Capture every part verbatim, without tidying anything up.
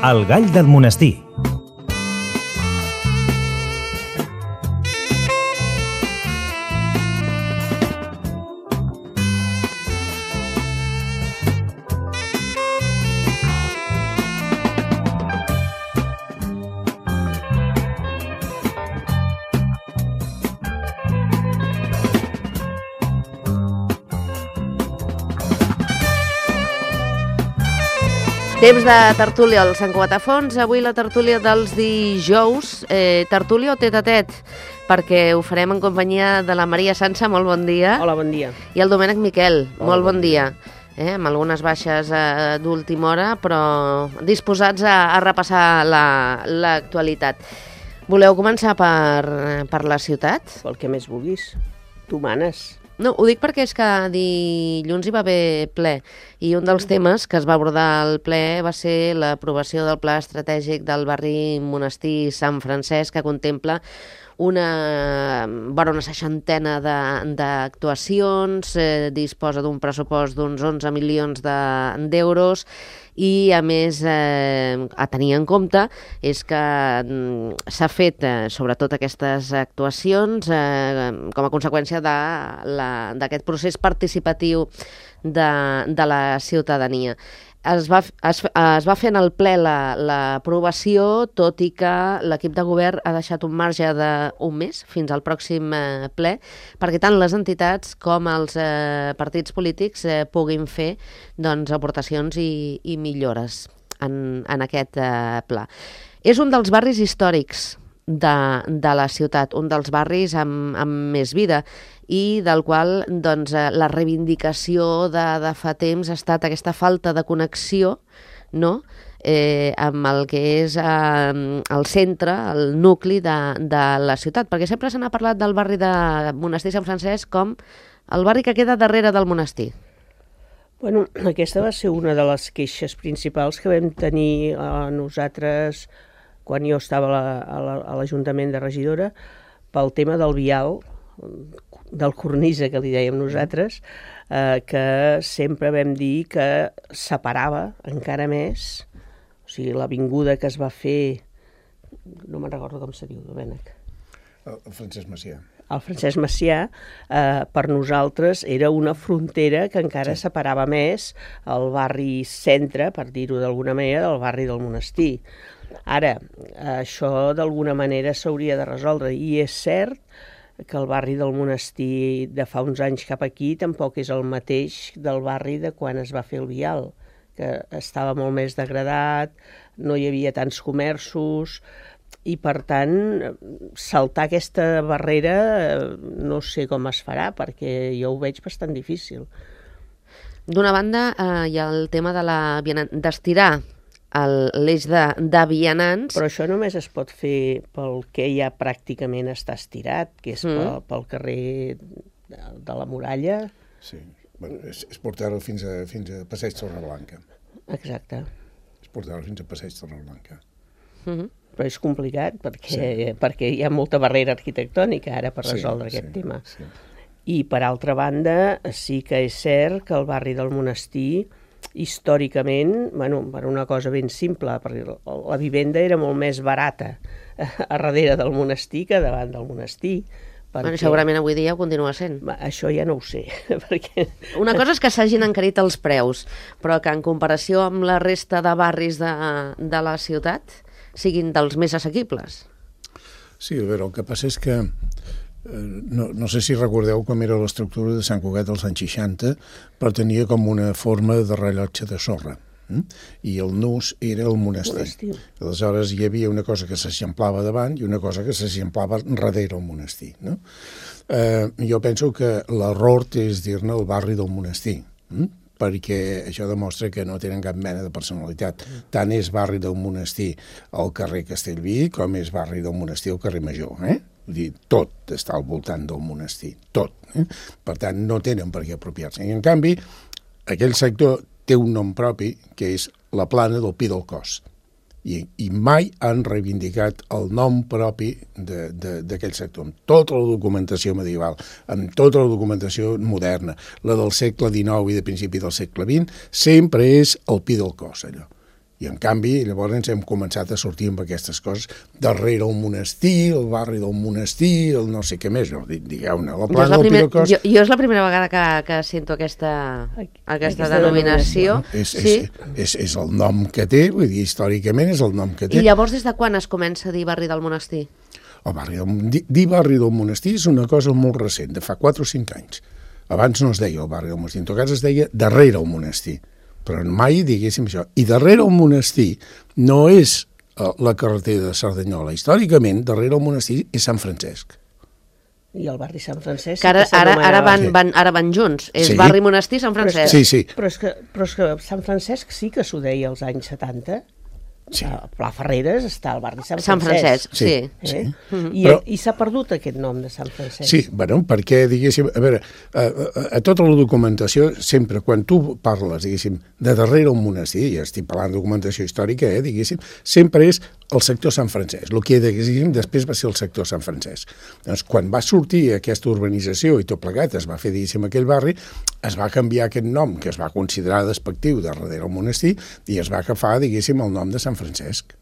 El gall del monestir. Temps de tertúlia al Sant Cugatafons. Avui la tertúlia dels dijous, eh, tertúlia o tet-a-tet, perquè ho farem en companyia de la Maria Sansa, molt bon dia. Hola, bon dia. I el Domènec Miquel, Hola, molt bon, bon dia. dia. Eh, amb algunes baixes eh, d'última hora, però disposats a, a repassar l'actualitat. La, Voleu començar per, per la ciutat? Pel que més vulguis. Tu manes. No, ho dic perquè és que dilluns hi va haver ple i un dels temes que es va abordar al ple va ser l'aprovació del Pla Estratègic del barri Monestir Sant Francesc, que contempla una, bueno, una seixantena d'actuacions, eh, disposa d'un pressupost d'uns onze milions d'euros de, i, a més, eh, a tenir en compte és que mm, s'ha fet, eh, sobretot aquestes actuacions, eh, com a conseqüència d'aquest procés participatiu de, de la ciutadania. Es va, es, es va fer en el ple l'aprovació, la, tot i que l'equip de govern ha deixat un marge d'un mes fins al pròxim eh, ple, perquè tant les entitats com els eh, partits polítics eh, puguin fer doncs, aportacions i, i millores en, en aquest eh, pla. És un dels barris històrics de, de la ciutat, un dels barris amb, amb més vida, i del qual doncs, la reivindicació de, de fa temps ha estat aquesta falta de connexió, no?, eh, amb el que és eh, el centre, el nucli de, de la ciutat, perquè sempre se n'ha parlat del barri de Monestir Sant Francesc com el barri que queda darrere del monestir. Bueno, aquesta va ser una de les queixes principals que vam tenir eh, nosaltres quan jo estava a l'Ajuntament de regidora pel tema del vial, del cornisa, que li dèiem nosaltres, eh, que sempre vam dir que separava encara més, o sigui, l'avinguda que es va fer, no me'n recordo com se diu, Domènec. El Francesc Macià. El Francesc Macià, eh, per nosaltres, era una frontera que encara sí. separava més el barri centre, per dir-ho d'alguna manera, del barri del monestir. Ara, això d'alguna manera s'hauria de resoldre, i és cert que el barri del monestir de fa uns anys cap aquí tampoc és el mateix del barri de quan es va fer el vial, que estava molt més degradat, no hi havia tants comerços, i per tant, saltar aquesta barrera no sé com es farà, perquè jo ho veig bastant difícil. D'una banda, eh, hi ha el tema de la d'estirar l'eix de, de vianants. Però això només es pot fer pel que ja pràcticament està estirat, que és mm. pel, pel carrer de, de la Muralla. Sí, bueno, és, és portar-ho fins a, fins a Passeig Torreblanca. Exacte. És portar-ho fins a Passeig Torreblanca. Mm-hmm. Però és complicat perquè, sí. perquè hi ha molta barrera arquitectònica ara per resoldre sí, aquest sí, tema. Sí. I per altra banda, sí que és cert que el barri del monestir històricament, bueno, per una cosa ben simple, perquè la vivenda era molt més barata a darrere del monestir que davant del monestir. Perquè... Bueno, segurament avui dia ho continua sent. Això ja no ho sé. Perquè... Una cosa és que s'hagin encarit els preus, però que en comparació amb la resta de barris de, de la ciutat siguin dels més assequibles. Sí, a veure, el que passa és que No, no sé si recordeu com era l'estructura de Sant Cugat dels anys seixanta, però tenia com una forma de rellotge de sorra, eh? I el nus era el monestir. monestir. Aleshores hi havia una cosa que s'eixamplava davant i una cosa que s'eixamplava darrere el monestir. No? Eh, jo penso que l'error és dir-ne el barri del monestir, eh? perquè això demostra que no tenen cap mena de personalitat. Tant és barri del monestir al carrer Castellví com és barri del monestir al carrer Major, eh? Dir, tot està al voltant del monestir, tot. Eh? Per tant, no tenen per què apropiar-se. I, en canvi, aquell sector té un nom propi, que és la plana del Pi del Cos. I, i mai han reivindicat el nom propi d'aquell sector, amb tota la documentació medieval, amb tota la documentació moderna, la del segle dinou i de principi del segle vint, sempre és el Pi del Cos, allò. I, en canvi, llavors hem començat a sortir amb aquestes coses. Darrere el monestir, el barri del monestir, el no sé què més. No, digueu-ne, la plana del Pirocós... Jo, jo és la primera vegada que, que sento aquesta, aquesta, aquesta denominació. Bueno, és, sí. és, és, és el nom que té, vull dir, històricament és el nom que té. I llavors des de quan es comença a dir barri del monestir? El barri del, dir, dir barri del monestir és una cosa molt recent, de fa quatre o cinc anys. Abans no es deia el barri del monestir, en tot cas es deia darrere el monestir. Però mai diguéssim això. I darrere el monestir no és uh, la carretera de Cerdanyola. Històricament, darrere el monestir és Sant Francesc. I el barri Sant Francesc... Que ara, ara, ara, van, van, ara van junts. És sí. barri monestir Sant Francesc. Sí, sí. Però és, que, però és que Sant Francesc sí que s'ho deia als anys setanta. Sí. A Pla Ferreres està el barri Sant Francesc. Sant Francesc, sí. Eh? sí. Mm-hmm. I, Però... i s'ha perdut aquest nom de Sant Francesc. Sí, bueno, perquè, diguéssim, a veure, a, a, a tota la documentació, sempre, quan tu parles, diguéssim, de darrere un monestir, ja estic parlant de documentació històrica, eh, diguéssim, sempre és el sector Sant Francesc. El que, diguéssim, després va ser el sector Sant Francesc. Doncs, quan va sortir aquesta urbanització i tot plegat, es va fer, diguéssim, aquell barri, es va canviar aquest nom, que es va considerar despectiu de darrere el monestir, i es va agafar, diguéssim, el nom de Sant Francesc.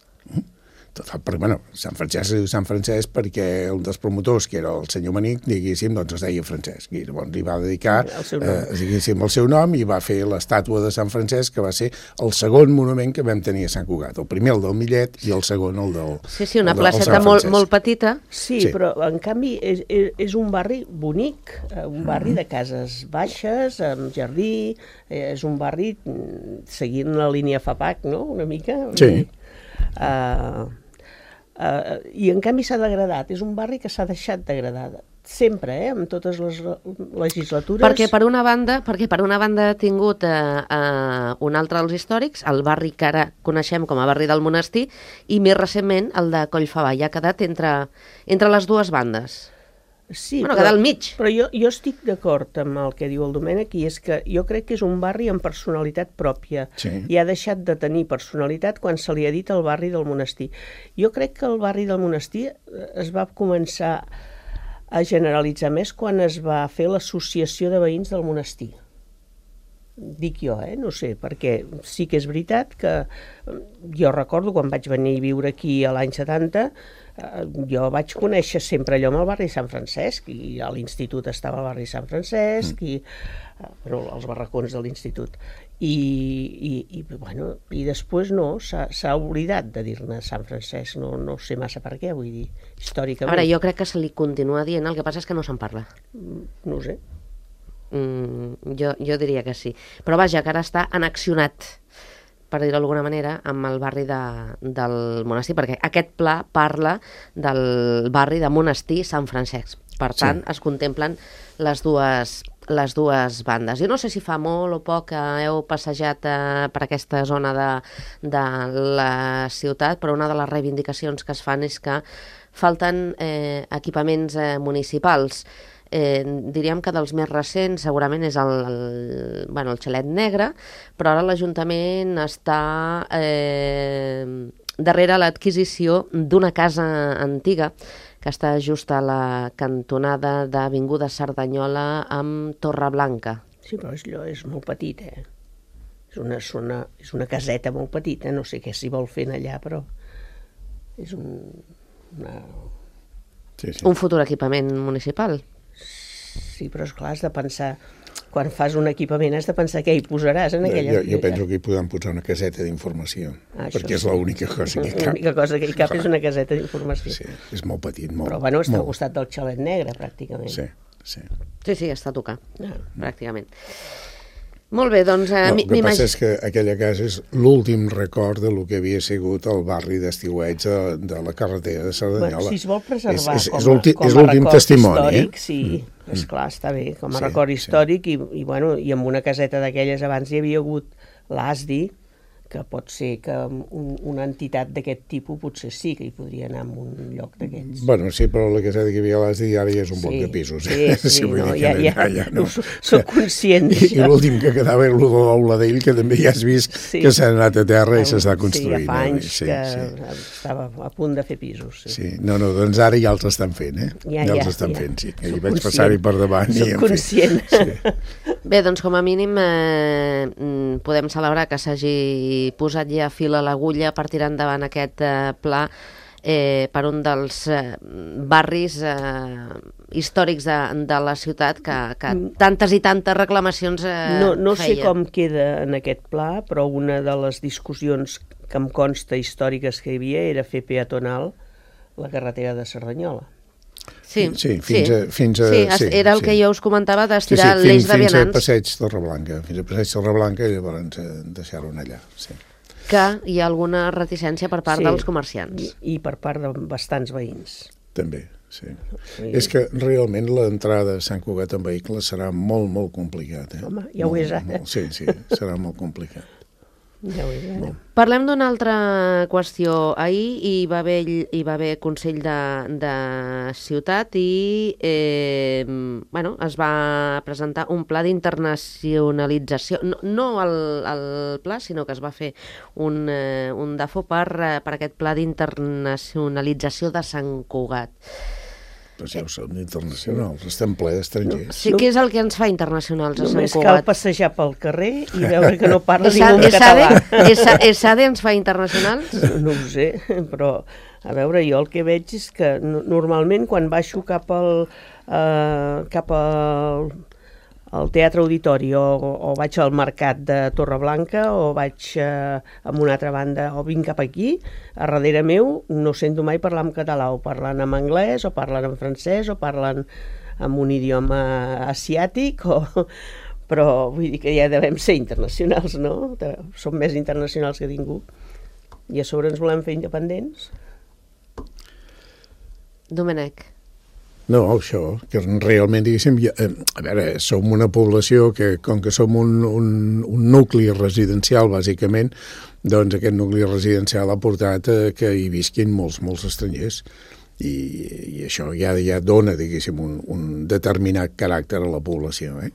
Total, però, bueno, Sant Francesc es diu Sant Francesc perquè un dels promotors, que era el senyor Manic, diguéssim, doncs es deia Francesc. I llavors li va dedicar, el seu nom. Eh, diguéssim, el seu nom i va fer l'estàtua de Sant Francesc, que va ser el segon monument que vam tenir a Sant Cugat. El primer, el del Millet, i el segon, el del Sí, sí, una el del, placeta molt, molt petita. Sí, sí, però en canvi és, és, és un barri bonic, un barri de cases baixes, amb jardí, és un barri seguint la línia FAPAC, no?, una mica. Sí. Uh, Uh, I en canvi s'ha degradat, és un barri que s'ha deixat degradar sempre, eh, amb totes les legislatures. Perquè per una banda, perquè per una banda ha tingut eh, eh, un altre dels històrics, el barri que ara coneixem com a barri del monestir, i més recentment el de Collfabà, i ha quedat entre, entre les dues bandes. Sí, bueno, però, quedar al mig. Però jo, jo estic d'acord amb el que diu el Domènec, i és que jo crec que és un barri amb personalitat pròpia, sí. i ha deixat de tenir personalitat quan se li ha dit el barri del monestir. Jo crec que el barri del monestir es va començar a generalitzar més quan es va fer l'associació de veïns del monestir. Dic jo, eh? No sé, perquè sí que és veritat que jo recordo quan vaig venir a viure aquí a l'any setanta, jo vaig conèixer sempre allò amb el barri Sant Francesc, i a l'institut estava el barri Sant Francesc, mm. i bueno, els barracons de l'institut. I, i, i, bueno, i després no, s'ha oblidat de dir-ne Sant Francesc, no, no sé massa per què, vull dir, històricament. Ara, jo crec que se li continua dient, el que passa és que no se'n parla. No ho sé. Mm, jo, jo diria que sí. Però vaja, que ara està annexionat, per dir-ho d'alguna manera, amb el barri de, del monestir, perquè aquest pla parla del barri de monestir Sant Francesc. Per tant, sí. es contemplen les dues, les dues bandes. Jo no sé si fa molt o poc que heu passejat eh, per aquesta zona de, de la ciutat, però una de les reivindicacions que es fan és que falten eh, equipaments eh, municipals. Eh, diríem que dels més recents segurament és el, el, bueno, el Xalet Negre, però ara l'Ajuntament està eh, darrere l'adquisició d'una casa antiga que està just a la cantonada d'Avinguda Cerdanyola amb Torreblanca. Sí, però és, és molt petit, eh? És una, zona, és una caseta molt petita, no sé què s'hi vol fer allà, però és un, una... Sí, sí. Un futur equipament municipal. Sí, però esclar, has de pensar, quan fas un equipament has de pensar què hi posaràs en aquella... Jo, jo penso que hi podem posar una caseta d'informació, ah, perquè és sí. l'única cosa que hi cap. L'única cosa que hi cap és una caseta d'informació. Sí, és molt petit, molt. Però bueno, està molt. al costat del Xalet Negre, pràcticament. Sí, sí. Sí, sí, està a tocar, ah. pràcticament. Molt bé, doncs... Eh, no, el que passa és que aquella casa és l'últim record de lo que havia sigut el barri d'estiueig de, de la carretera de Cerdanyola. Bueno, si es vol preservar és, és, com, és, ulti, com és a record testimoni, històric, eh? sí, mm. esclar, està bé, com a sí, record històric, sí. i, i, bueno, i amb una caseta d'aquelles abans hi havia hagut l'A S D I, que pot ser que un, una entitat d'aquest tipus potser sí que hi podria anar a un lloc d'aquests. Bueno, sí, però la caseta que hi havia a l'A S D I ara ja és un sí, bloc de pisos. Sí, sí, sí no, ja, ja, ja no. Soc conscient I, i l'últim que quedava era el de l'Aula d'ell, que també ja has vist sí. que s'ha anat a terra i s'està construint. Sí, ja fa anys sí, que sí. estava a punt de fer pisos. Sí, sí. No, no, doncs ara ja els estan fent, eh? Ja, ja ja els estan ja. fent, sí. Soc I vaig passar-hi per davant. Soc i, conscient. Sí. Bé, doncs com a mínim eh, podem celebrar que s'hagi posat ja fil a l'agulla per tirar endavant aquest eh, pla eh, per un dels eh, barris eh, històrics de, de la ciutat que, que tantes i tantes reclamacions eh, no, no sé feia. com queda en aquest pla, però una de les discussions que em consta històriques que hi havia era fer peatonal la carretera de Cerdanyola. Sí, sí, fins sí. A, fins a, sí, sí, era el sí. que jo us comentava d'estirar sí, sí, l'eix de fins vianants. a Passeig Torreblanca, fins a Passeig Torreblanca i llavors deixar-ho allà, sí. Que hi ha alguna reticència per part sí, dels comerciants. I, i per part de bastants veïns. També, sí. sí. És que realment l'entrada a Sant Cugat en vehicle serà molt, molt complicat. Eh? Home, ja ho és ara. Molt, sí, sí, serà molt complicat. Ja ho és ara. Parlem d'una altra qüestió. Ahir hi va haver, hi va haver Consell de, de Ciutat i eh, bueno, es va presentar un pla d'internacionalització. No, no el, el pla, sinó que es va fer un, eh, un dafo per, per aquest pla d'internacionalització de Sant Cugat. Però ja ho som internacionals, estem ple d'estrangers. Sí, què és el que ens fa internacionals a Sant Només Cugat? cal passejar pel carrer i veure que no parla Esa- ningú en Esade- català. Esa- Esade ens fa internacionals? No ho sé, però a veure, jo el que veig és que no- normalment quan baixo cap al, eh, cap al, al Teatre Auditori o, o vaig al mercat de Torreblanca o vaig eh, a una altra banda o vinc cap aquí, a darrere meu no sento mai parlar en català, o parlant en anglès o parlant en francès o parlant en un idioma asiàtic o... però vull dir que ja devem ser internacionals, no? Som més internacionals que ningú. I a sobre ens volem fer independents. Domènec. No, això, que realment, diguéssim, ja, eh, a veure, som una població que, com que som un, un, un nucli residencial, bàsicament, doncs aquest nucli residencial ha portat a que hi visquin molts, molts estrangers. I, i això ja, ja dona, diguéssim, un, un determinat caràcter a la població, eh?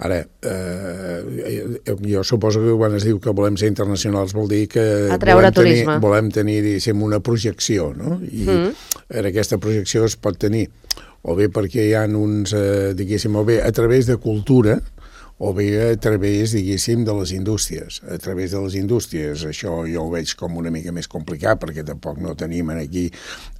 Ara, eh, jo suposo que quan es diu que volem ser internacionals vol dir que Atreure volem tenir, turisme. volem tenir, diguéssim, una projecció, no? I mm. en aquesta projecció es pot tenir o bé perquè hi ha uns, eh, diguéssim, o bé a través de cultura, o bé a través, diguéssim, de les indústries. A través de les indústries, això jo ho veig com una mica més complicat, perquè tampoc no tenim aquí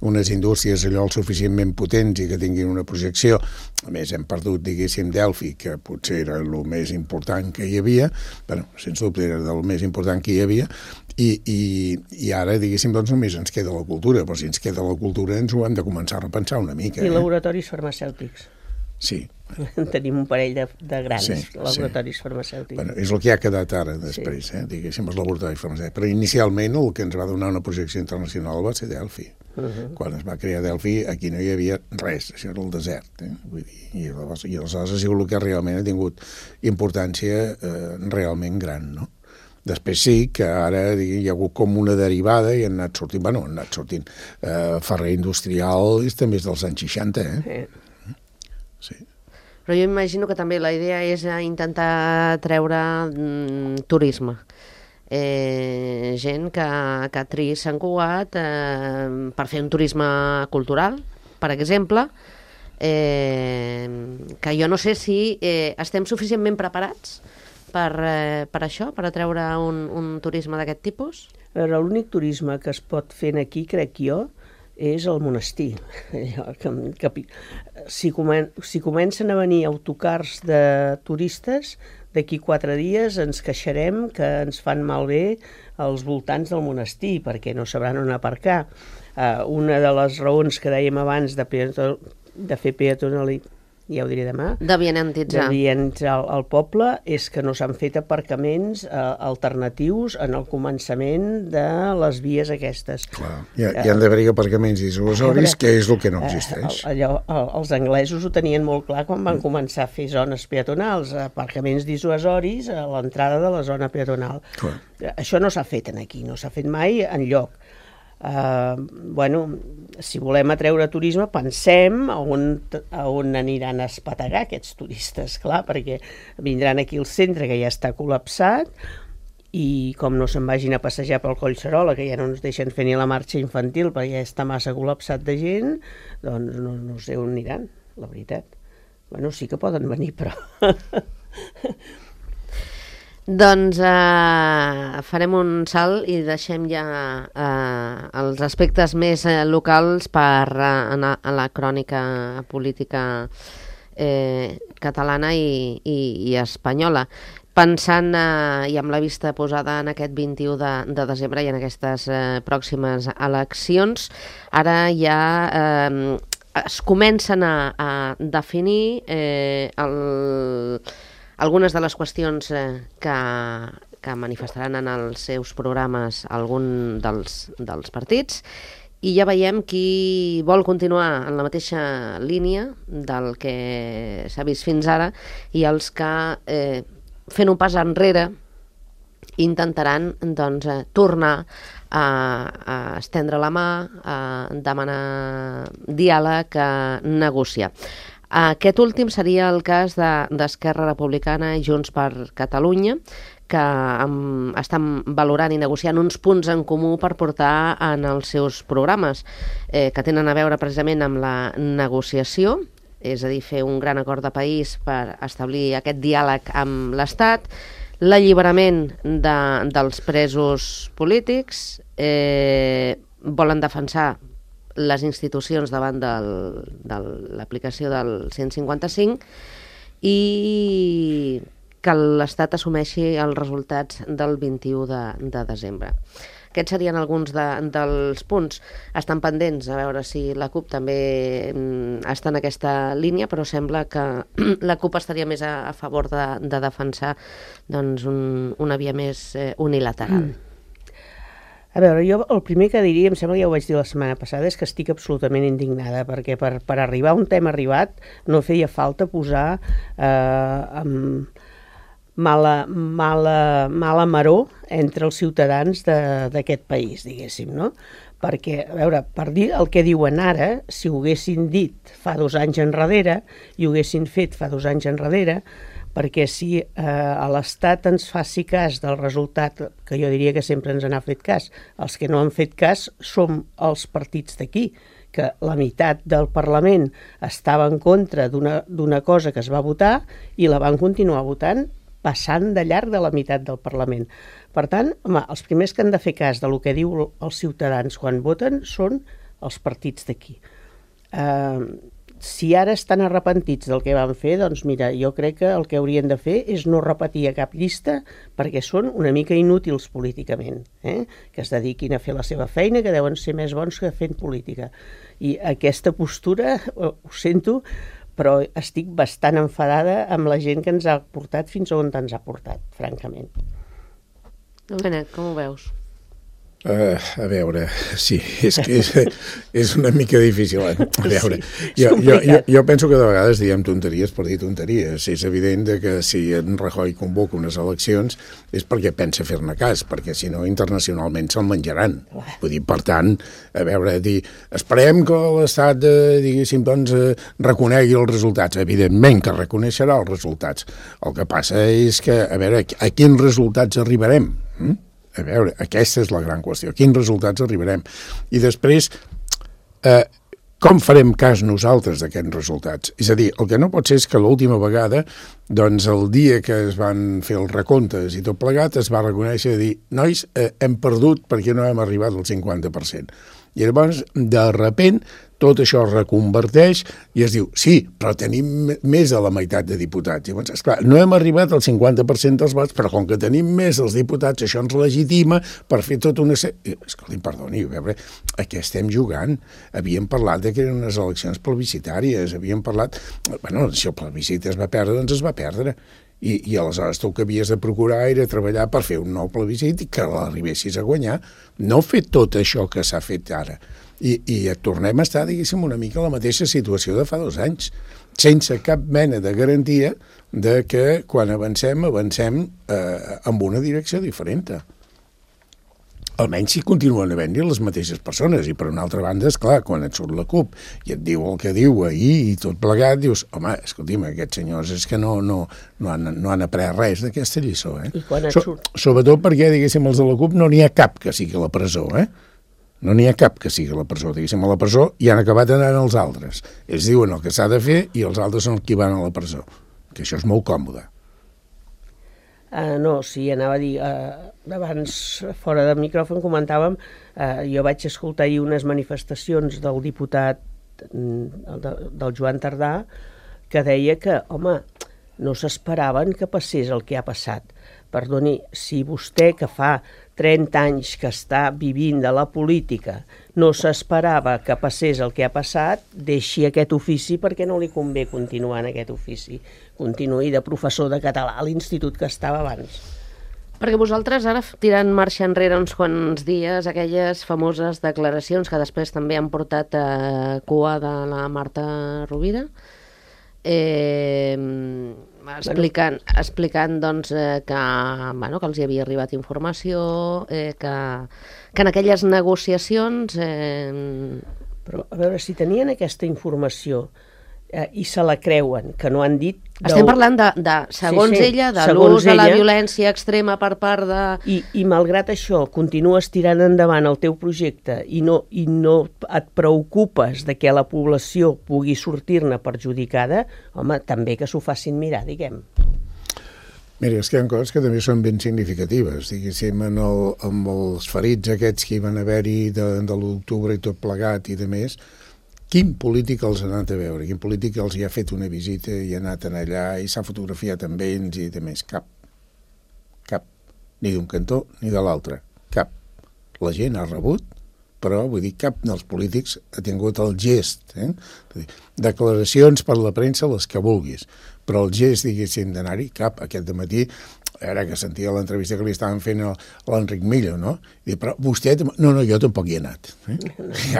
unes indústries allò el suficientment potents i que tinguin una projecció. A més, hem perdut, diguéssim, Delphi, que potser era el més important que hi havia, bueno, sens dubte era del més important que hi havia, i, i, i ara, diguéssim, doncs només ens queda la cultura, però si ens queda la cultura ens ho hem de començar a repensar una mica. I eh? laboratoris farmacèutics. Sí. Tenim un parell de, de grans Sí, laboratoris sí. farmacèutics. Bueno, és el que ha quedat ara després, sí. eh? diguéssim, els laboratoris farmacèutics. Però inicialment el que ens va donar una projecció internacional va ser Delphi. Uh -huh. Quan es va crear Delphi aquí no hi havia res, això era el desert. Eh? Vull dir, i, aleshores, I aleshores ha sigut el que realment ha tingut importància eh, realment gran, no? Després sí que ara digui, hi ha hagut com una derivada i han anat sortint, bueno, han anat sortint eh, Ferrer Industrial és també és dels anys seixanta, eh? Eh. Sí. Però jo imagino que també la idea és intentar treure mm, turisme. Eh, gent que, que triï Sant Cugat eh, per fer un turisme cultural, per exemple, eh, que jo no sé si eh, estem suficientment preparats per, eh, per això, per atreure un, un turisme d'aquest tipus? A veure, l'únic turisme que es pot fer aquí, crec jo, és el monestir. que, que, si, comen, si comencen a venir autocars de turistes, d'aquí quatre dies ens queixarem que ens fan malbé als voltants del monestir, perquè no sabran on aparcar. Uh, una de les raons que dèiem abans de, peato, de fer peatonalitat, ja ho diré demà, de vianantitzar de vianantitzar el, el poble, és que no s'han fet aparcaments eh, alternatius en el començament de les vies aquestes. Clar, hi, ha, hi han d'haver aparcaments dissuasoris, que és el que no existeix. Eh, allò, els anglesos ho tenien molt clar quan van començar a fer zones peatonals, aparcaments dissuasoris a l'entrada de la zona peatonal. Clar. Això no s'ha fet aquí, no s'ha fet mai enlloc. Uh, bueno, si volem atreure turisme, pensem a on, a on aniran a espategar aquests turistes, clar, perquè vindran aquí al centre, que ja està col·lapsat, i com no se'n vagin a passejar pel Collserola, que ja no ens deixen fer ni la marxa infantil perquè ja està massa col·lapsat de gent, doncs no, no sé on aniran, la veritat. Bueno, sí que poden venir, però Doncs eh, farem un salt i deixem ja eh, els aspectes més eh, locals per eh, anar a la crònica política eh, catalana i, i, i espanyola. Pensant eh, i amb la vista posada en aquest vint-i-u de, de desembre i en aquestes eh, pròximes eleccions, ara ja eh, es comencen a, a definir eh, el... algunes de les qüestions eh, que, que manifestaran en els seus programes algun dels, dels partits, i ja veiem qui vol continuar en la mateixa línia del que s'ha vist fins ara i els que, eh, fent un pas enrere, intentaran doncs, eh, tornar a, a estendre la mà, a demanar diàleg, a negociar. Aquest últim seria el cas d'Esquerra Republicana i Junts per Catalunya, que um, estan valorant i negociant uns punts en comú per portar en els seus programes, eh, que tenen a veure precisament amb la negociació, és a dir, fer un gran acord de país per establir aquest diàleg amb l'Estat, l'alliberament de, dels presos polítics, eh, volen defensar les institucions davant del, de l'aplicació del cent cinquanta-cinc i que l'Estat assumeixi els resultats del vint-i-u de, de desembre. Aquests serien alguns de, dels punts. Estan pendents a veure si la CUP també està en aquesta línia, però sembla que la CUP estaria més a, a favor de, de defensar doncs, un, una via més eh, unilateral. Mm. A veure, jo el primer que diria, em sembla que ja ho vaig dir la setmana passada, és que estic absolutament indignada, perquè per, per arribar a un tema arribat no feia falta posar eh, amb mala, mala, mala maror entre els ciutadans d'aquest país, diguéssim, no? Perquè, a veure, per dir el que diuen ara, si ho haguessin dit fa dos anys enrere i ho haguessin fet fa dos anys enrere, perquè si eh, a l'Estat ens faci cas del resultat, que jo diria que sempre ens n'ha fet cas, els que no han fet cas som els partits d'aquí, que la meitat del Parlament estava en contra d'una cosa que es va votar i la van continuar votant passant de llarg de la meitat del Parlament. Per tant, home, els primers que han de fer cas del que diu els ciutadans quan voten són els partits d'aquí. Eh, si ara estan arrepentits del que van fer, doncs mira, jo crec que el que haurien de fer és no repetir a cap llista perquè són una mica inútils políticament, eh? Que es dediquin a fer la seva feina, que deuen ser més bons que fent política. I aquesta postura, ho sento, però estic bastant enfadada amb la gent que ens ha portat fins on ens ha portat, francament. Benet, com ho veus? Uh, a veure, sí, és que és, és una mica difícil. Eh? A veure, sí, jo, jo, jo, jo penso que de vegades diem tonteries per dir tonteries. És evident que si en Rajoy convoca unes eleccions és perquè pensa fer-ne cas, perquè si no internacionalment se'l menjaran. Vull dir, per tant, a veure, dir, esperem que l'Estat, eh, diguéssim, doncs, eh, reconegui els resultats. Evidentment que reconeixerà els resultats. El que passa és que, a veure, a quins resultats arribarem? Hm? A veure, aquesta és la gran qüestió. A quins resultats arribarem? I després, eh, com farem cas nosaltres d'aquests resultats? És a dir, el que no pot ser és que l'última vegada, doncs el dia que es van fer els recomptes i tot plegat, es va reconèixer i dir, nois, eh, hem perdut perquè no hem arribat al cinquanta per cent. I llavors, de repent, tot això es reconverteix i es diu, sí, però tenim més de la meitat de diputats. I llavors, esclar, no hem arribat al cinquanta per cent dels vots, però com que tenim més dels diputats, això ens legitima per fer tota una... Escolti, perdoni, a veure, a què estem jugant? Havíem parlat de que eren unes eleccions plebiscitàries, havíem parlat... Bueno, si el plebiscit es va perdre, doncs es va perdre. I, i aleshores tu el que havies de procurar era treballar per fer un nou plebiscit i que l'arribessis a guanyar. No fer tot això que s'ha fet ara. I, i tornem a estar, diguéssim, una mica a la mateixa situació de fa dos anys, sense cap mena de garantia de que quan avancem, avancem eh, amb una direcció diferent. Almenys si continuen havent-hi les mateixes persones. I per una altra banda, esclar, quan et surt la CUP i et diu el que diu ahir i tot plegat, dius, home, escolti'm, aquests senyors és que no, no, no, han, no han après res d'aquesta lliçó. Eh? I quan et so, surt... Sobretot perquè, diguéssim, els de la CUP no n'hi ha cap que sigui a la presó, eh? No n'hi ha cap que sigui a la presó. Diguéssim, a la presó i han acabat anant els altres. Ells diuen el que s'ha de fer i els altres són qui van a la presó. Que això és molt còmode. Uh, no, sí, anava a dir, uh, abans fora de micròfon comentàvem, uh, jo vaig escoltar ahir unes manifestacions del diputat mm, de, del Joan Tardà que deia que, home, no s'esperaven que passés el que ha passat. Perdoni, si vostè que fa trenta anys que està vivint de la política no s'esperava que passés el que ha passat, deixi aquest ofici perquè no li convé continuar en aquest ofici. Continuï de professor de català a l'institut que estava abans. Perquè vosaltres ara, tirant marxa enrere uns quants dies, aquelles famoses declaracions que després també han portat a cua de la Marta Rovira, eh, explicant, explicant doncs, eh, que, bueno, que els hi havia arribat informació, eh, que, que en aquelles negociacions... Eh... Però, a veure, si tenien aquesta informació eh, i se la creuen, que no han dit... Estem parlant de, de segons sí, sí, ella, de l'ús de la violència extrema per part de... I, i malgrat això, continues tirant endavant el teu projecte i no, i no et preocupes de que la població pugui sortir-ne perjudicada, home, també que s'ho facin mirar, diguem. Mira, és que hi ha coses que també són ben significatives. Diguéssim, en el, amb els ferits aquests que hi van haver-hi de, de l'octubre i tot plegat i de més, quin polític els ha anat a veure? Quin polític els hi ha fet una visita i ha anat allà i s'ha fotografiat amb ells i de més? Cap. Cap. Ni d'un cantó ni de l'altre. Cap. La gent ha rebut, però vull dir, cap dels polítics ha tingut el gest. Eh? Declaracions per la premsa, les que vulguis, però el gest, diguéssim, d'anar-hi, cap. Aquest dematí, ara que sentia l'entrevista que li estaven fent a l'Enric Millo, no? I, però vostè... No, no, jo tampoc hi he anat. Eh?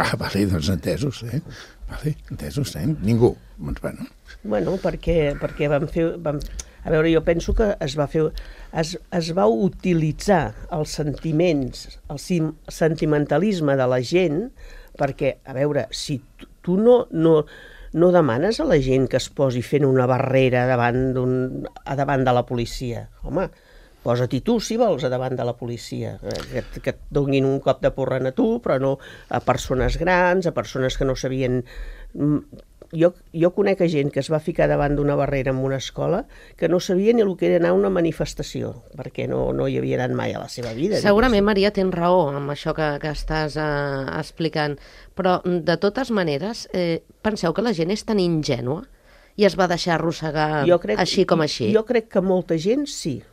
Ah, vale, doncs entesos, eh? Vale, entesos, eh? Ningú. Doncs, bueno. Bueno, perquè, perquè vam fer... Vam... A veure, jo penso que es va fer... Es, es va utilitzar els sentiments, el sentimentalisme de la gent, perquè, a veure, si tu, tu no... no no demanes a la gent que es posi fent una barrera davant, a davant de la policia. Home, posa-t'hi tu, si vols, a davant de la policia. Que, que et donin un cop de porrent a tu, però no a persones grans, a persones que no sabien... Jo, jo conec a gent que es va ficar davant d'una barrera en una escola que no sabia ni el que era anar a una manifestació, perquè no, no hi havia anat mai a la seva vida. Segurament, Maria, tens raó amb això que, que estàs uh, explicant, però de totes maneres, eh, penseu que la gent és tan ingènua i es va deixar arrossegar crec, així com així? Jo crec que molta gent sí,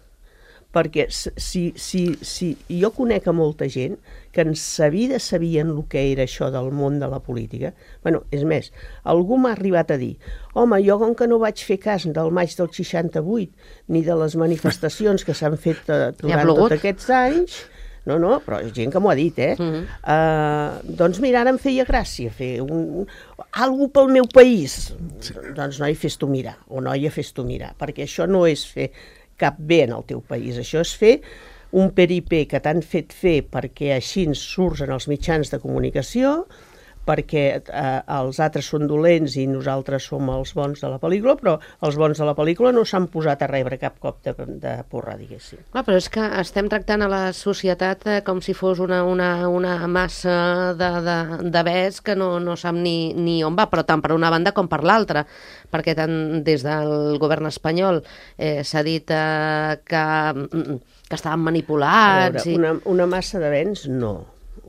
perquè si, si, si jo conec a molta gent que en sa vida sabien el que era això del món de la política. Bueno, és més, algú m'ha arribat a dir, home, jo com que no vaig fer cas del maig del seixanta-vuit ni de les manifestacions que s'han fet uh, durant tots aquests anys, no, no, però gent que m'ho ha dit, eh? Uh-huh. uh, doncs mira, ara em feia gràcia fer un, algo pel meu país. Sí. Doncs noi, fes-t'ho mirar, o noia, fes-t'ho mirar, perquè això no és fer cap bé en el teu país. Això és fer un peripé que t'han fet fer perquè així ens surts en els mitjans de comunicació, perquè eh, els altres són dolents i nosaltres som els bons de la pel·lícula, però els bons de la pel·lícula no s'han posat a rebre cap cop de, de porra, diguéssim. Clar, però és que estem tractant a la societat eh, com si fos una, una, una massa de, de, de bes que no, no sap ni, ni on va, però tant per una banda com per l'altra, perquè tant des del govern espanyol eh, s'ha dit eh, que, que estaven manipulats... A veure, i... una, una massa de béns, no.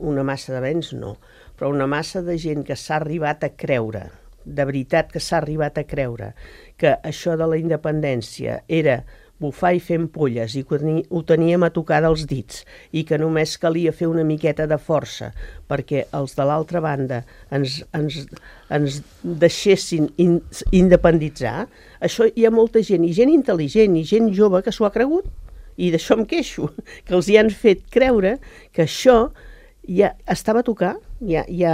Una massa de béns, no. Però una massa de gent que s'ha arribat a creure, de veritat que s'ha arribat a creure, que això de la independència era bufar i fer ampolles i que ho teníem a tocar dels dits i que només calia fer una miqueta de força perquè els de l'altra banda ens, ens, ens deixessin in, independitzar, això hi ha molta gent, i gent intel·ligent, i gent jove que s'ho ha cregut, i d'això em queixo, que els hi han fet creure que això ja estava a tocar, ja, ja,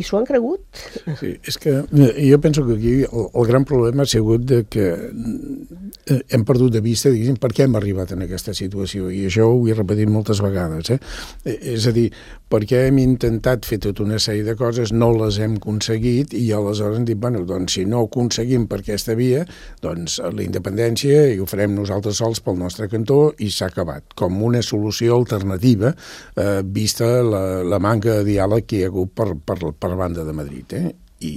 i s'ho han cregut. Sí, és que jo penso que aquí el, el gran problema ha sigut de que hem perdut de vista, diguéssim, per què hem arribat en aquesta situació, i això ho he repetit moltes vegades, eh? És a dir, perquè hem intentat fer tota una sèrie de coses, no les hem aconseguit, i aleshores hem dit, bueno, doncs si no ho aconseguim per aquesta via, doncs la independència i ho farem nosaltres sols pel nostre cantó i s'ha acabat, com una solució alternativa, eh, vista la, la manca de diàleg que hi ha hagut per, per, per banda de Madrid, eh? I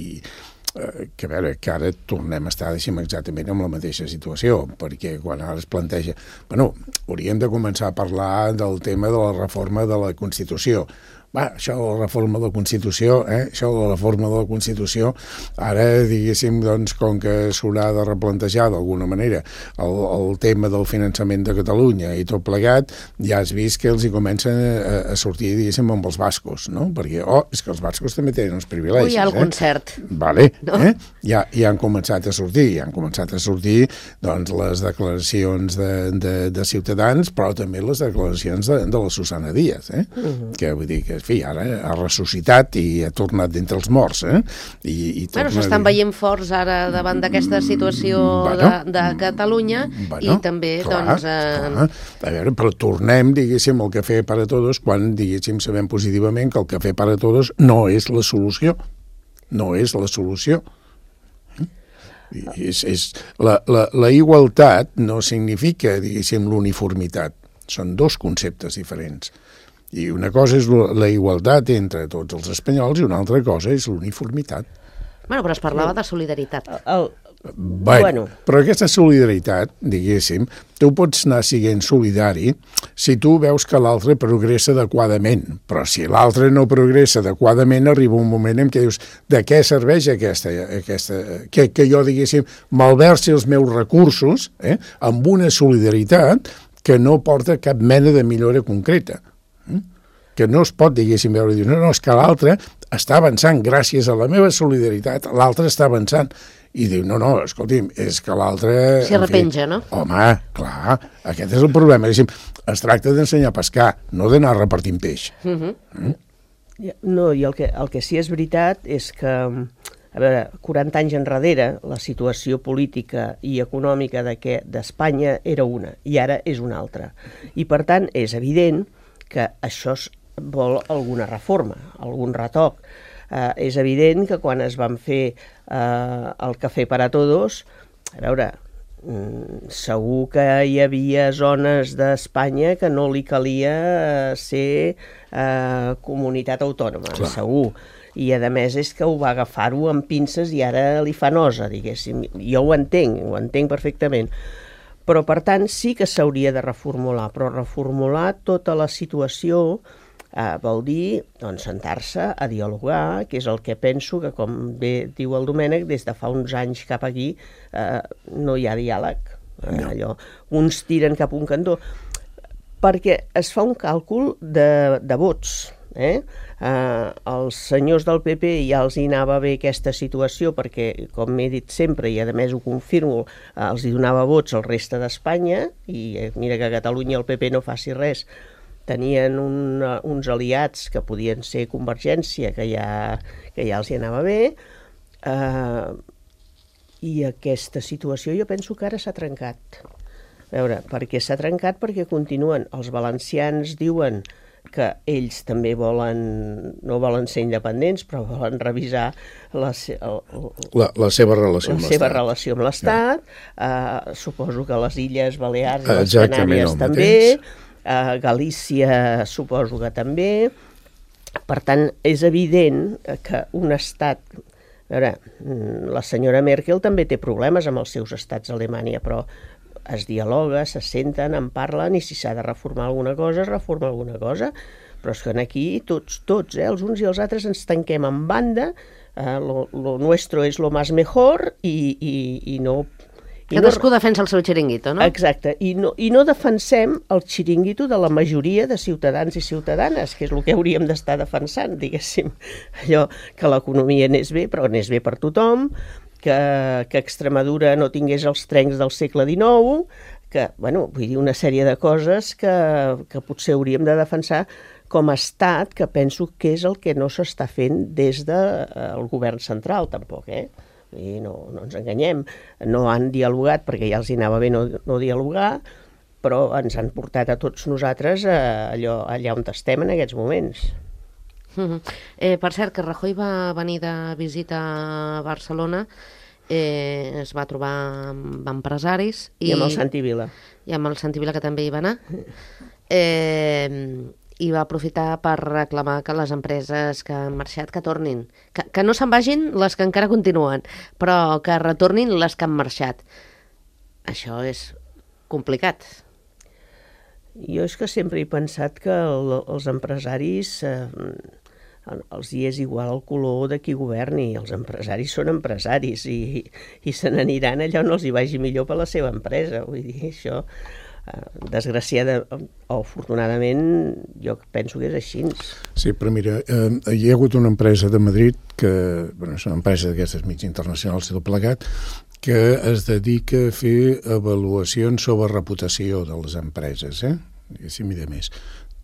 que a veure, que ara tornem a estar, deixem, exactament en la mateixa situació, perquè quan ara es planteja... Bueno, hauríem de començar a parlar del tema de la reforma de la Constitució. Va, això de la reforma de la Constitució, eh? això de la reforma de la Constitució, ara, diguéssim, doncs, com que s'haurà de replantejar d'alguna manera el, el tema del finançament de Catalunya i tot plegat, ja has vist que els hi comencen a, a sortir, diguéssim, amb els bascos, no? Perquè, oh, és que els bascos també tenen uns privilegis. Ui, hi ha el eh? concert. Vale, no? eh? Ja, ja han començat a sortir, ja han començat a sortir, doncs, les declaracions de, de, de Ciutadans, però també les declaracions de, de la Susana Díaz, eh? Uh-huh. Que vull dir que en fi, ara ha ressuscitat i ha tornat d'entre els morts. Eh? I, i bueno, s'estan veient forts ara davant d'aquesta situació bueno, de, de Catalunya bueno, i també, clar, doncs... Eh... Clar. A veure, però tornem, diguéssim, al Cafè para Todos quan, diguéssim, sabem positivament que el Cafè para Todos no és la solució. No és la solució. És, és, la, la, la igualtat no significa, diguéssim, l'uniformitat. Són dos conceptes diferents. I una cosa és la igualtat entre tots els espanyols i una altra cosa és l'uniformitat. Bueno, però es parlava de solidaritat. El... Bueno, bueno, però aquesta solidaritat, diguéssim, tu pots anar siguent solidari si tu veus que l'altre progressa adequadament, però si l'altre no progressa adequadament arriba un moment en què dius de què serveix aquesta, aquesta que, que jo, diguéssim, malversi els meus recursos eh, amb una solidaritat que no porta cap mena de millora concreta. Que no es pot, diguéssim, veure i dir, no, no, és que l'altre està avançant gràcies a la meva solidaritat, l'altre està avançant. I diu, no, no, escolti'm, és que l'altre... S'hi arrepenja, no? Home, clar, aquest és el problema. Diguéssim, es tracta d'ensenyar a pescar, no d'anar repartint peix. Uh-huh. mm? No, i el que, el que sí és veritat és que, a veure, quaranta anys enrere, la situació política i econòmica d'Espanya era una, i ara és una altra. I, per tant, és evident que això vol alguna reforma, algun retoc. Eh, és evident que quan es van fer eh, el Cafè para Todos, a veure, mm, segur que hi havia zones d'Espanya que no li calia ser eh, comunitat autònoma, clar. Segur. I a més és que ho va agafar-ho amb pinces i ara li fa nosa, diguéssim. Jo ho entenc, ho entenc perfectament. Però, per tant, sí que s'hauria de reformular, però reformular tota la situació eh, vol dir doncs, sentar-se a dialogar, que és el que penso que, com bé diu el Domènec, des de fa uns anys cap aquí eh, no hi ha diàleg. Eh, no. Allò, uns tiren cap a un cantó, perquè es fa un càlcul de, de vots. Eh? Eh, els senyors del P P ja els hi anava bé aquesta situació perquè, com m'he dit sempre, i a més ho confirmo, eh, els hi donava vots al reste d'Espanya, i eh, mira que a Catalunya el P P no faci res, tenien un, uh, uns aliats que podien ser Convergència, que ja, que ja els hi anava bé, eh, i aquesta situació jo penso que ara s'ha trencat. A veure, perquè s'ha trencat perquè continuen, els valencians diuen que ells també volen, no volen ser independents, però volen revisar la, el, la, la seva relació amb l'Estat. La seva l'Estat. relació amb l'Estat. Ja. Uh, suposo que les Illes Balears i les Exactament Canàries també. Uh, Galícia suposo que també. Per tant, és evident que un estat... A veure, la senyora Merkel també té problemes amb els seus estats a Alemanya, però es dialoga, se senten, en parlen, i si s'ha de reformar alguna cosa, es reforma alguna cosa. Però és que aquí tots, tots, eh, els uns i els altres ens tanquem en banda, eh, lo, lo nuestro és lo más mejor, i, i, i no... I Cadascú no, defensa el seu xiringuito, no? Exacte, i no, i no defensem el xiringuito de la majoria de ciutadans i ciutadanes, que és el que hauríem d'estar defensant, diguéssim. Allò que l'economia anés bé, però anés bé per tothom, que, que Extremadura no tingués els trens del segle dinou, que, bueno, vull dir, una sèrie de coses que, que potser hauríem de defensar com a estat, que penso que és el que no s'està fent des del eh, govern central, tampoc, eh? I no, no ens enganyem, no han dialogat perquè ja els hi anava bé no, no dialogar, però ens han portat a tots nosaltres a allò, allà on estem en aquests moments. Uh-huh. eh, per cert, que Rajoy va venir de visita a Barcelona, eh, es va trobar amb empresaris i, I amb el Santi Vila i amb el Santi Vila, que també hi va anar, eh, i va aprofitar per reclamar que les empreses que han marxat que tornin, que, que no se'n vagin les que encara continuen, però que retornin les que han marxat. Això és complicat. Jo és que sempre he pensat que el, els empresaris eh, els hi és igual el color de qui governi. Els empresaris són empresaris i, i se n'aniran allà on els hi vagi millor per la seva empresa. Vull dir, això, eh, desgraciada o afortunadament, jo penso que és així. Sí, però mira, eh, hi ha hagut una empresa de Madrid, que bueno, és una empresa d'aquestes mig internacionals i tot plegat, que es dedica a fer avaluacions sobre reputació de les empreses, eh? I si mira més.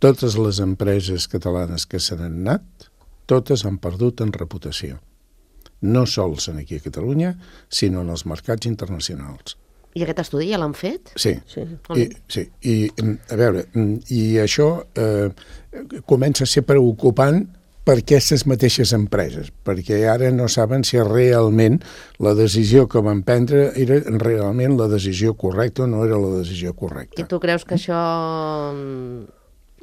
Totes les empreses catalanes que se n'han anat, totes han perdut en reputació. No sols aquí a Catalunya, sinó en els mercats internacionals. I aquest estudi ja l'han fet? Sí. Sí. I, sí. I, a veure, i això eh, comença a ser preocupant per aquestes mateixes empreses, perquè ara no saben si realment la decisió que van prendre era realment la decisió correcta o no era la decisió correcta. I tu creus que això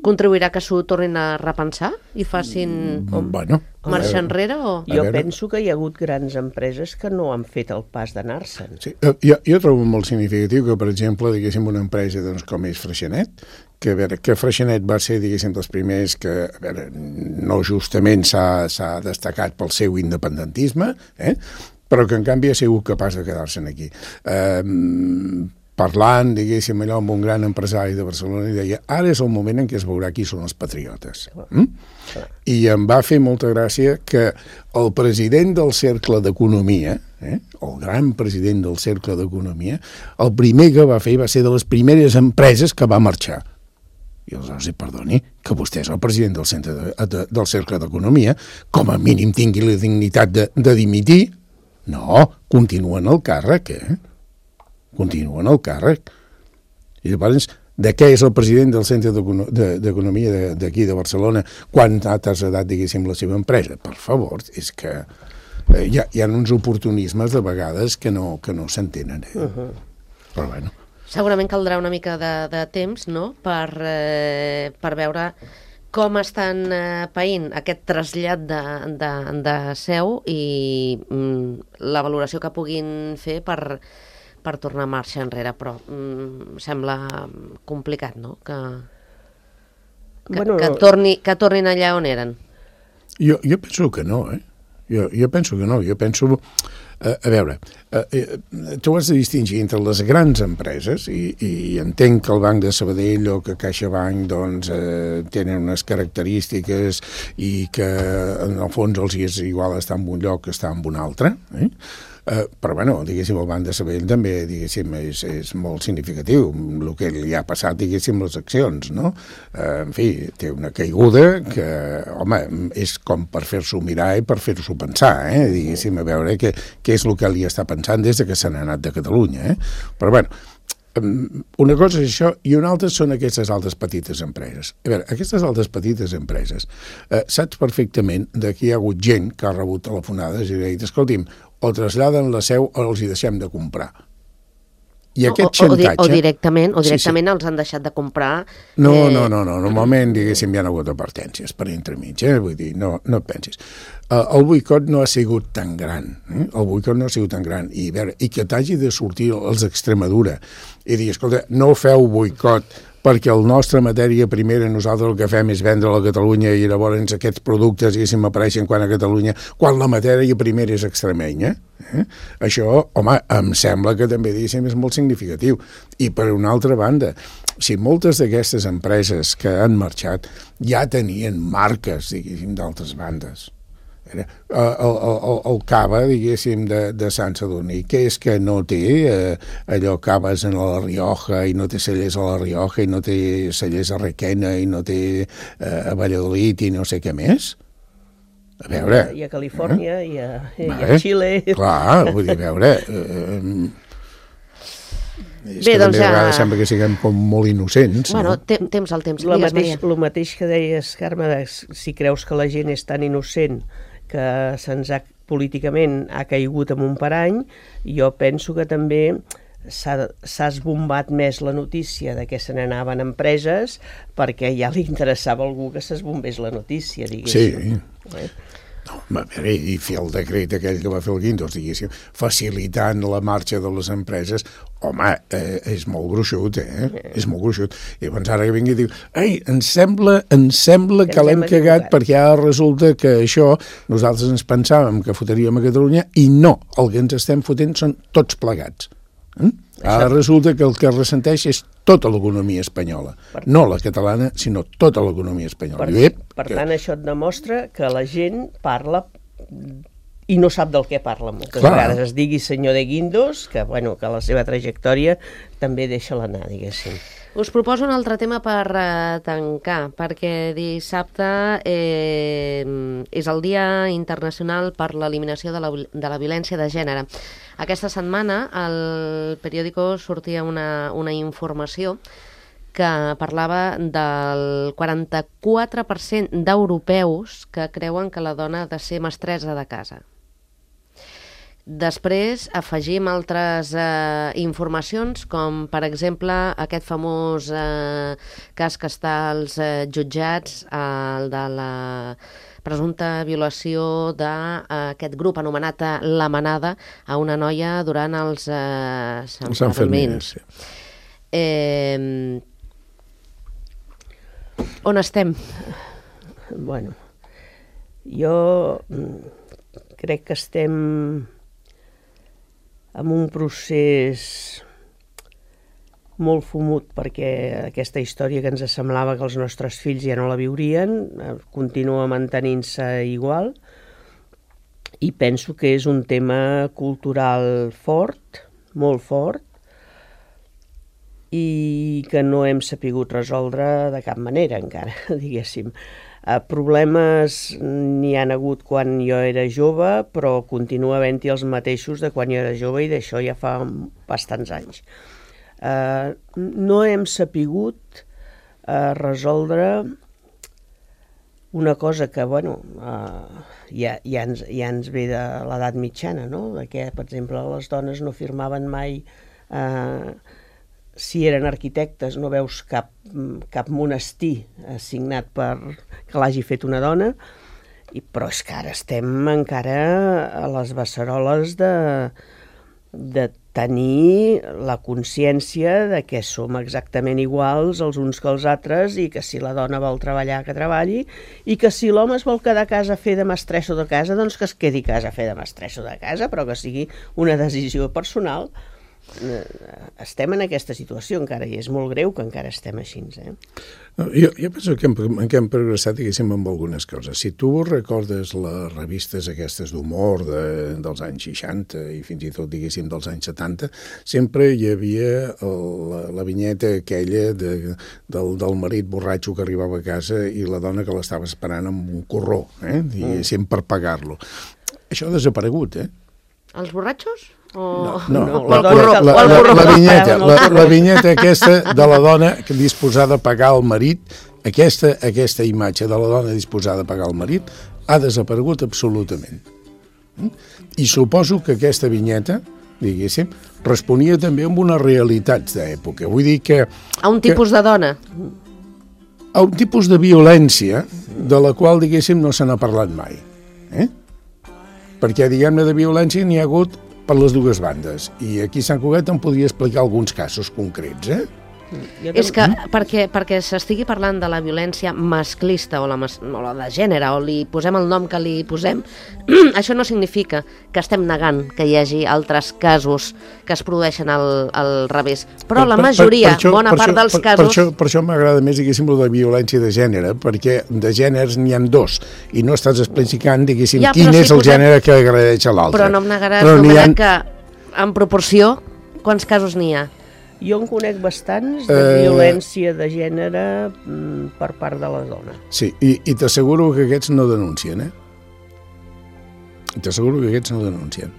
contribuirà que s'ho tornin a repensar i facin bueno, marxa enrere? O... Jo penso que hi ha hagut grans empreses que no han fet el pas d'anar-se'n. Sí, jo, jo trobo molt significatiu que, per exemple, diguéssim, una empresa doncs, com és Freixenet, que, a veure, que Freixenet va ser, diguéssim, dels primers que, a veure, no justament s'ha destacat pel seu independentisme, eh? Però que, en canvi, ha sigut capaç de quedar-se'n aquí. Eh, parlant, diguéssim, allò amb un gran empresari de Barcelona, i deia, ara és el moment en què es veurà qui són els patriotes. Mm? I em va fer molta gràcia que el president del Cercle d'Economia, eh, el gran president del Cercle d'Economia, el primer que va fer va ser de les primeres empreses que va marxar. I aleshores, perdoni, que vostè és el president del, centre de, de, del Cercle d'Economia, com a mínim tingui la dignitat de, de dimitir. No, continua en el càrrec, eh? Continua en el càrrec. I llavors, de què és el president del Centre d'Economia d'aquí de Barcelona quan ha traslladat, diguéssim, la seva empresa? Per favor, és que eh, hi, ha, hi ha uns oportunismes de vegades que no, que no s'entenen. Eh? Uh-huh. Però bueno. Segurament caldrà una mica de, de temps, no?, per, eh, per veure com estan eh, païnt aquest trasllat de, de, de seu i mm, la valoració que puguin fer per, per tornar a marxa enrere, però mm, sembla complicat, no?, que, que, bueno, que, torni, que tornin allà on eren. Jo, jo penso que no, eh? Jo, jo penso que no, jo penso... Uh, a veure, uh, uh, tu has de distingir entre les grans empreses i, i entenc que el Banc de Sabadell o que CaixaBank doncs, uh, tenen unes característiques i que en el fons els és igual estar en un lloc que estar en un altre, eh? Uh, però bueno, diguéssim, el Banc de Sabadell també, diguéssim, és, és molt significatiu el que li ha passat, diguéssim, les accions, no? Uh, en fi, té una caiguda que, home, és com per fer-s'ho mirar i per fer-s'ho pensar, eh? Diguéssim, a veure què, què és el que li està pensant des de que se n'ha anat de Catalunya, eh? Però bueno, una cosa és això i una altra són aquestes altres petites empreses. A veure, aquestes altres petites empreses, eh, saps perfectament que hi ha hagut gent que ha rebut telefonades i ha dit, escolti'm, o traslladen la seu o els hi deixem de comprar. I aquest o, o, xantatge... O directament, o directament sí, sí. els han deixat de comprar... No, eh... no, no, no, normalment, diguéssim, hi ha hagut advertències per entremig, eh? Vull dir, no, no et pensis. Uh, el boicot no ha sigut tan gran, eh? El boicot no ha sigut tan gran, i, veure, i que t'hagi de sortir els d'Extremadura i dir, escolta, no feu boicot perquè el nostra matèria primera nosaltres el que fem és vendre-la a Catalunya i llavors aquests productes, diguéssim, apareixen quan a Catalunya, quan la matèria primera és extremenya. Eh? Això, home, em sembla que també, diguéssim, és molt significatiu. I per una altra banda, si moltes d'aquestes empreses que han marxat ja tenien marques, diguéssim, d'altres bandes. El, el, el, el cava, diguéssim, de, de Sant Sadurní, que és que no té eh, allò caves en la Rioja i no té cellers a la Rioja i no té cellers a Requena i no té eh, a Valladolid i no sé què més. A veure... I a Califòrnia eh? i, a, i a Xile. Clar, vull dir, a veure... Eh, és Bé, que doncs també ja... a vegades sembla que siguem com molt innocents. Bueno, no? temps al temps. El mateix, lo mateix que deies, Carme, de, si creus que la gent és tan innocent que se'ns ha, políticament ha caigut en un parany, jo penso que també s'ha esbombat més la notícia de que se n'anaven empreses perquè ja li interessava a algú que s'esbombés la notícia, diguéssim. Sí. Eh? No, a veure, i fer el decret aquell que va fer el Guindos, diguéssim, facilitant la marxa de les empreses, home, eh, és molt gruixut, eh? És molt gruixut. I llavors ara que vingui i diu, ei, em sembla, em sembla que, que l'hem cagat perquè ara resulta que això nosaltres ens pensàvem que fotríem a Catalunya i no, el que ens estem fotent són tots plegats. Eh? Ara resulta que el que ressenteix és tota l'economia espanyola, per no la catalana, sinó tota l'economia espanyola. Per, Ep, per que... tant, això et demostra que la gent parla i no sap del què parla. Moltes Clar. vegades es digui senyor de Guindos, que, bueno, que la seva trajectòria també deixa l'anar, diguéssim. Us proposo un altre tema per uh, tancar, perquè dissabte eh, és el Dia Internacional per l'Eliminació de, la, de la Violència de Gènere. Aquesta setmana al periòdico sortia una, una informació que parlava del quaranta-quatre per cent d'europeus que creuen que la dona ha de ser mestressa de casa. Després afegim altres eh, informacions, com per exemple aquest famós eh, cas que està als eh, jutjats, eh, el de la presumpta violació d'aquest grup anomenat La Manada a una noia durant els eh, Sant Fermins. Sí. Eh, on estem? Bueno, jo crec que estem amb un procés molt fumut, perquè aquesta història que ens semblava que els nostres fills ja no la viurien continua mantenint-se igual, i penso que és un tema cultural fort, molt fort, i que no hem sapigut resoldre de cap manera encara, diguéssim. Uh, problemes n'hi han hagut quan jo era jove, però continua havent-hi els mateixos de quan jo era jove, i d'això ja fa bastants anys. Uh, no hem sapigut uh, resoldre una cosa que, bueno, uh, ja, ja, ens, ja ens ve de l'edat mitjana, no? De que, per exemple, les dones no firmaven mai... Uh, si eren arquitectes, no veus cap, cap monestir assignat per que l'hagi fet una dona, i, però és que ara estem encara a les beceroles de, de tenir la consciència de que som exactament iguals els uns que els altres, i que si la dona vol treballar, que treballi, i que si l'home es vol quedar a casa a fer de mestresso de casa, doncs que es quedi a casa a fer de mestresso de casa, però que sigui una decisió personal. Estem en aquesta situació encara, i és molt greu que encara estem així. Eh? No, jo, jo penso que hem, que hem progressat, diguéssim, amb algunes coses. Si tu recordes les revistes aquestes d'humor de, dels anys seixanta i fins i tot, diguéssim, dels anys setanta, sempre hi havia el, la, la vinyeta aquella de, del, del marit borratxo que arribava a casa i la dona que l'estava esperant amb un corró, eh? diguéssim, per pagar-lo. Això ha desaparegut, eh? Els borratxos? O... No, no, no, la, la, la, la, la, la, vinyeta, la, la vinyeta aquesta de la dona disposada a pagar el marit, aquesta, aquesta imatge de la dona disposada a pagar el marit ha desaparegut absolutament. I suposo que aquesta vinyeta, diguéssim, responia també amb unes realitats d'època. Vull dir que... A un tipus que, de dona? A un tipus de violència de la qual, diguéssim, no se n'ha parlat mai. Eh? Perquè, diguem-ne, de violència n'hi ha hagut per les dues bandes. I aquí a Sant Cugat em podria explicar alguns casos concrets, eh? És que perquè, perquè s'estigui parlant de la violència masclista o la, mas, o la de gènere, o li posem el nom que li posem, això no significa que estem negant que hi hagi altres casos que es produeixen al, al revés. Però per, la majoria, per, per això, bona part això, dels per, casos... Per això, per això m'agrada més, diguéssim, la de violència de gènere, perquè de gèneres n'hi ha dos, i no estàs explicant, diguéssim, ja, quin és si el posem... gènere que agradeix a l'altre. Però no em negaràs, Domènec, ha... que en proporció, quants casos n'hi ha? Jo en conec bastants de uh, violència de gènere mm, per part de la dona. Sí, i, i t'asseguro que aquests no denuncien, eh? T'asseguro que aquests no denuncien.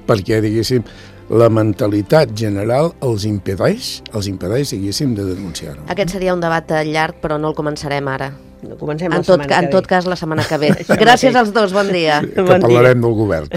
Perquè, diguéssim, la mentalitat general els impedeix, els impedeix, diguéssim, de denunciar-ho. Aquest seria un debat llarg, però no el començarem ara. No comencem en la tot, setmana en que tot cas, la setmana que ve. Gràcies als dos, bon dia. Que parlarem del govern.